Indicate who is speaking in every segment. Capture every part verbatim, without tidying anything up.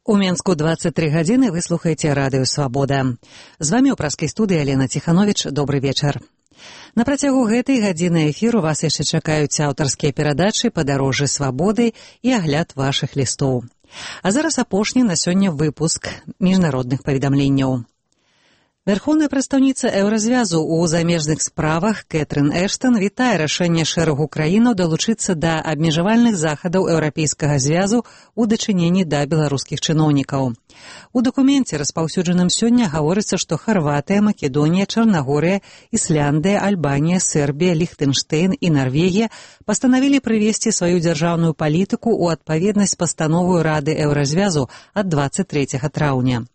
Speaker 1: У Менску двадцать три гадзіны вы слухаеце радыё «Свабода». З вамі ў праскай студыі Алена Ціхановіч. Добры вечар. На працягу гэтай гадзіны эфіру вас яшчэ чакаюць аўтарскія перадачы «Падарожжы свабоды» і агляд вашых лістоў. А зараз апошні на сёння выпуск міжнародных паведамленняў. Верховная прадстаўніца Еўразвязу ў замежных справах Кэтрын Эштон вітае рашэнне шэрагу краінаў далучыцца да абмежавальных захадаў Еўрапейскага звязу ў дачыненні да беларускіх чыноўнікаў. У дакуменце, распаўсюджаным сёння, гаворыцца, што Харватыя, Македонія, Чарнагорыя, Ісляндыя, Альбанія, Сербія, Ліхтэнштэйн і Нарвегія пастанавілі прывесці сваю дзяржаўную палітыку ў адпаведнасць пастановою Рады Еўразвязу ад двадцать трэцяга траўня.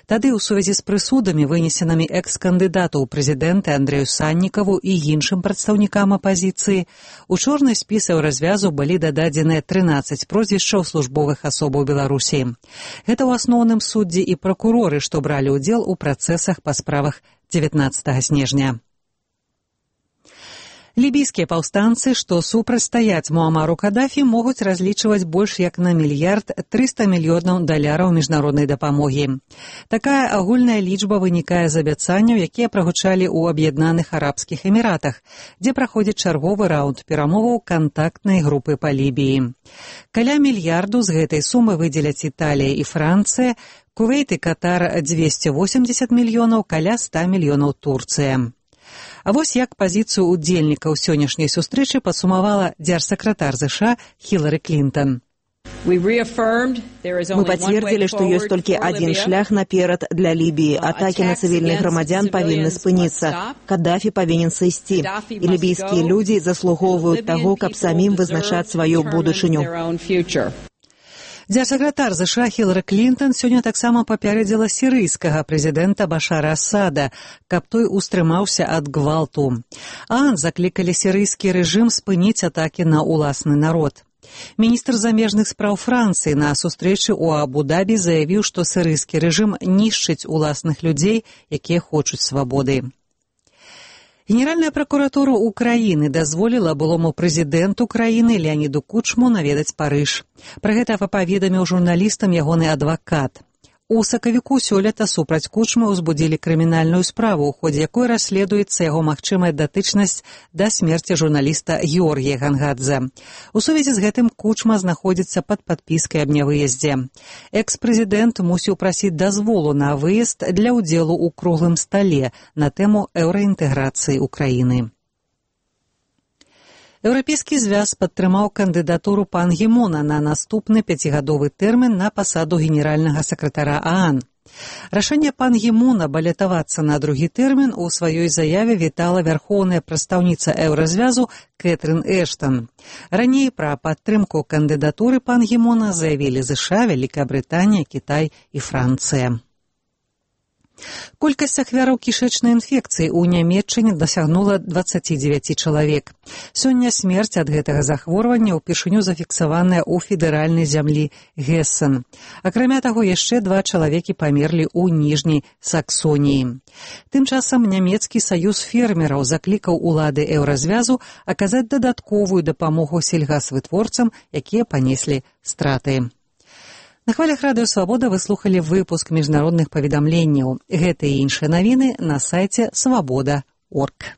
Speaker 1: Тады ў сувязі з прысудамі, вынесенымі экс-кандыдату ў прэзідэнты Андрэю Саннікаву і іншым прадстаўнікам апазіцыі, у чорны спіс Еўразвязу былі дададзеныя трынаццаць прозвішчаў службовых асобаў Беларусі. Гэта ў асноўным суддзі і пракуроры, што бралі ўдзел у працэсах па справах дзевятнаццатага снежня. Лібійскія паўстанцы, што супрацьстаяць Муамару Кадафі, могуць разлічваць больш як на мільярд трыста мільёнаў даляраў міжнароднай дапамогі. Такая агульная лічба вынікае з абяцанняў, якія прагучалі ў Аб'яднаных Арабскіх Эміратах, дзе праходзіць чарговы раунд перамоваў кантактнай групы па Лібіі. Каля мільярду з гэтай сумы выдзеляць Італія і Францыя, Кувейт і Катар дзвесце восемдзесят мільёнаў, каля ста мільёнаў Турцыя. А вось як пазіцыю ўдзельнікаў сённяшняй сустрэчы падсумавала дзяржсакратар ЗША Хілары Клінтон.
Speaker 2: Мы пацвердзілі, што ёсць толькі адзін шлях наперад для Лібіі. Атакі на цывільных грамадзян павінны спыніцца. Кадафі павінен сысці. І лібійскія людзі заслугоўваюць таго, каб самім вызначаць сваю будучыню.
Speaker 1: Дзяржсакратар ЗША Хілары Клінтон сёння таксама папярэдзіла сірыйскага прэзідэнта Башара Асада, каб той устрымаўся ад гвалту. ААН заклікалі сірыйскі рэжым спыніць атакі на ўласны народ. Міністр замежных спраў Францыі на сустрэчы ў Абу-Дабі заявіў, што сірыйскі рэжым нішчыць уласных людзей, якія хочуць свабоды. Генеральная пракуратура Украіны дазволіла былому прэзідэнту краіны Леаніду Кучму наведаць Парыж. Пра гэта паведаміў журналістам ягоны адвакат. У сакавіку сёлета супраць Кучмы ўзбудзілі крымінальную справу, у ходзе якой расследуецца яго магчымая датычнасць да смерці журналіста Георгія Гангадзе. У сувязі з гэтым Кучма знаходзіцца пад падпіскай аб нявыездзе. Экс-прэзідэнт мусіў прасіць дазволу на выезд для ўдзелу ў круглым стале на тэму еўраінтэграцыі ўкраіны. Еўрапейскі звяз падтрымаў кандыдатуру Пан Гі Муна на наступны пяцігадовы тэрмін на пасаду генеральнага сакратара ААН. Рашэнне Пан Гі Муна балятавацца на другі тэрмін у сваёй заяве вітала вярхоўная прадстаўніца Еўразвязу Кэтрын Эштон. Раней пра падтрымку кандыдатуры Пан Гі Муна заявілі ЗША, Вялікая Брытанія, Кітай і Францыя. Колькасць ахвяраў кішэчнай інфекцыі ў Нямецчыне дасягнула дваццаць дзевяць чалавек. Сёння смерць ад гэтага захворвання ўпершыню зафіксаваная ў федэральнай зямлі Гессен. Акрамя таго, яшчэ два чалавекі памерлі ў Ніжняй Саксоніі. Тым часам нямецкі саюз фермераў заклікаў улады Еўразвязу аказаць дадатковую дапамогу сельгасвытворцам, якія панеслі страты. На хвалях радыё «Свабода» вы слухалі выпуск міжнародных паведамленняў. Гэта і іншыя навіны на сайце свабода точка орг.